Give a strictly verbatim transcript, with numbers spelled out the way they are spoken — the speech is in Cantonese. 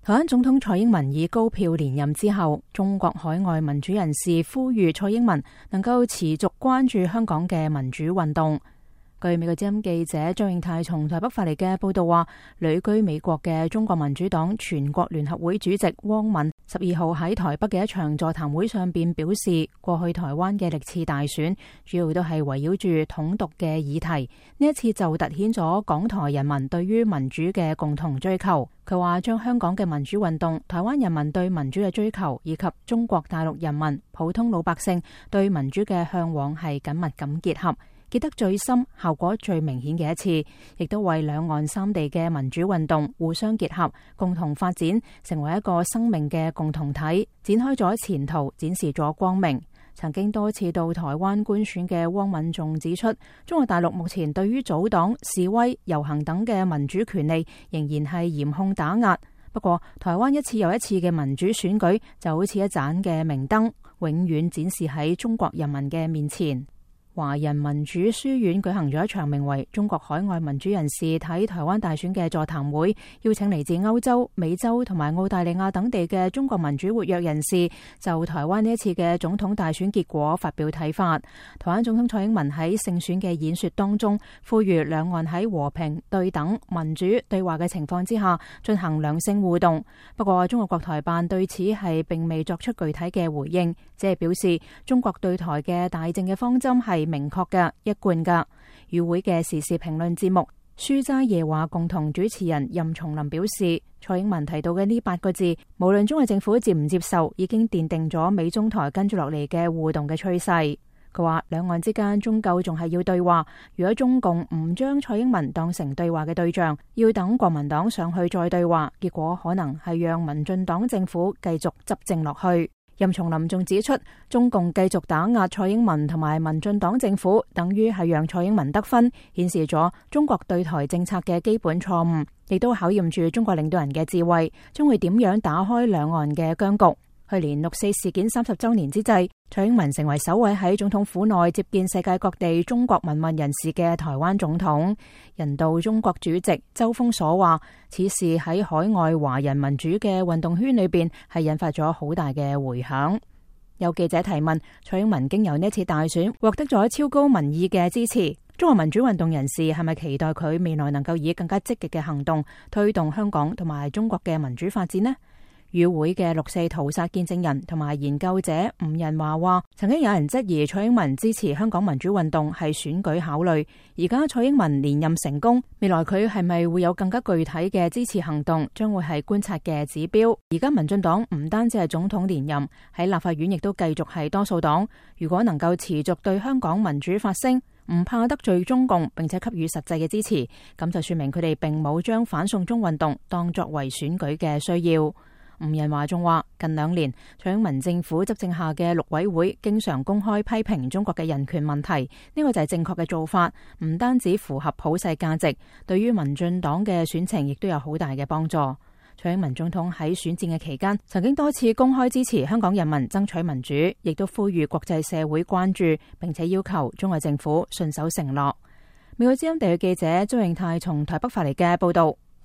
台灣總統蔡英文以高票連任之後，中國海外民主人士呼籲蔡英文能夠持續關注香港嘅民主運動。據美國之音記者張永泰從台北發嚟嘅報道話，旅居美國嘅中國民主黨全國聯合會主席汪敏十二號喺台北嘅一場座談會上邊表示，過去台灣嘅歷次大選主要都係圍繞住統獨嘅議題，呢一次就凸顯咗港台人民對於民主嘅共同追求。佢話將香港嘅民主運動、台灣人民對民主嘅追求以及中國大陸人民普通老百姓對民主嘅向往係緊密咁結合，結得最深、效果最明顯嘅一次，亦都為兩岸三地嘅民主運動互相結合、共同發展，成為一個生命嘅共同體，展開咗前途，展示咗光明。曾經多次到台灣觀選嘅汪敏仲指出，中國大陸目前對於組黨、示威、遊行等嘅民主權利仍然係嚴控打壓。不過，台灣一次又一次嘅民主選舉就好似一盞嘅明燈，永遠展示喺中國人民嘅面前。華人民主書院舉行咗一場名為《中國海外民主人士睇台灣大選》嘅座談會，邀請嚟自歐洲、美洲同埋澳大利亞等地嘅中國民主活躍人士就台灣呢一次嘅總統大選結果發表睇法。台灣總統蔡英文喺勝選嘅演說當中，呼籲兩岸喺和平、對等、民主對話嘅情況之下進行良性互動。不過，中國國台辦對此係並未作出具體嘅回應，只係表示中國對台嘅大政嘅方針係明確嘅、一貫嘅。與會嘅時事評論節目書齋夜話共同主持人任松林表示，蔡英文提到嘅呢八個字，無論中國政府接唔接受，已經奠定咗美中台跟住落嚟嘅互動嘅趨勢。佢話兩岸之間終究仲係要對話，如果中共唔將蔡英文當成對話嘅對象，要等國民黨上去再對話，結果可能係讓民進黨政府繼續執政落去。任松林仲指出，中共繼續打壓蔡英文同埋民進黨政府，等於係讓蔡英文得分，顯示咗中國對台政策嘅基本錯誤，亦都考驗住中國領導人嘅智慧，將會點樣打開兩岸嘅僵局。去年六四事件三十周年之際，蔡英文成為首位喺總統府內接見世界各地中國民運人士嘅台灣總統。人道中國主席周鋒所話，此事喺海外華人民主嘅運動圈裏邊係引發咗好大嘅回響。有記者提問，蔡英文經由呢次大選獲得咗超高民意嘅支持，中國民主運動人士係咪期待佢未來能夠以更加積極嘅行動推動香港同埋中國嘅民主發展呢？與會嘅六四屠殺見證人同埋研究者吳仁華話，曾經有人質疑蔡英文支持香港民主運動係選舉考慮，而家蔡英文連任成功，未來佢係咪會有更加具體嘅支持行動，將會係觀察嘅指標。而家民進黨唔單止係總統連任，喺立法院亦都繼續係多數黨，如果能夠持續對香港民主發聲，唔怕得罪中共，並且給予實際嘅支持，咁就說明佢哋並冇將反送中運動當作為選舉嘅需要。吳仁華仲話，近兩年蔡英文政府執政下嘅陸委會經常公開批評中國嘅人權問題，呢個就係正確嘅做法，唔單止符合普世價值，對於民進黨嘅選情亦都有好大嘅幫助。蔡英文總統喺選戰嘅期間，曾經多次公開支持香港人民爭取民主，亦都呼籲國際社會關注，並且要求中國政府信守承諾。美國之音地區記者張永泰從台北發嚟嘅報道。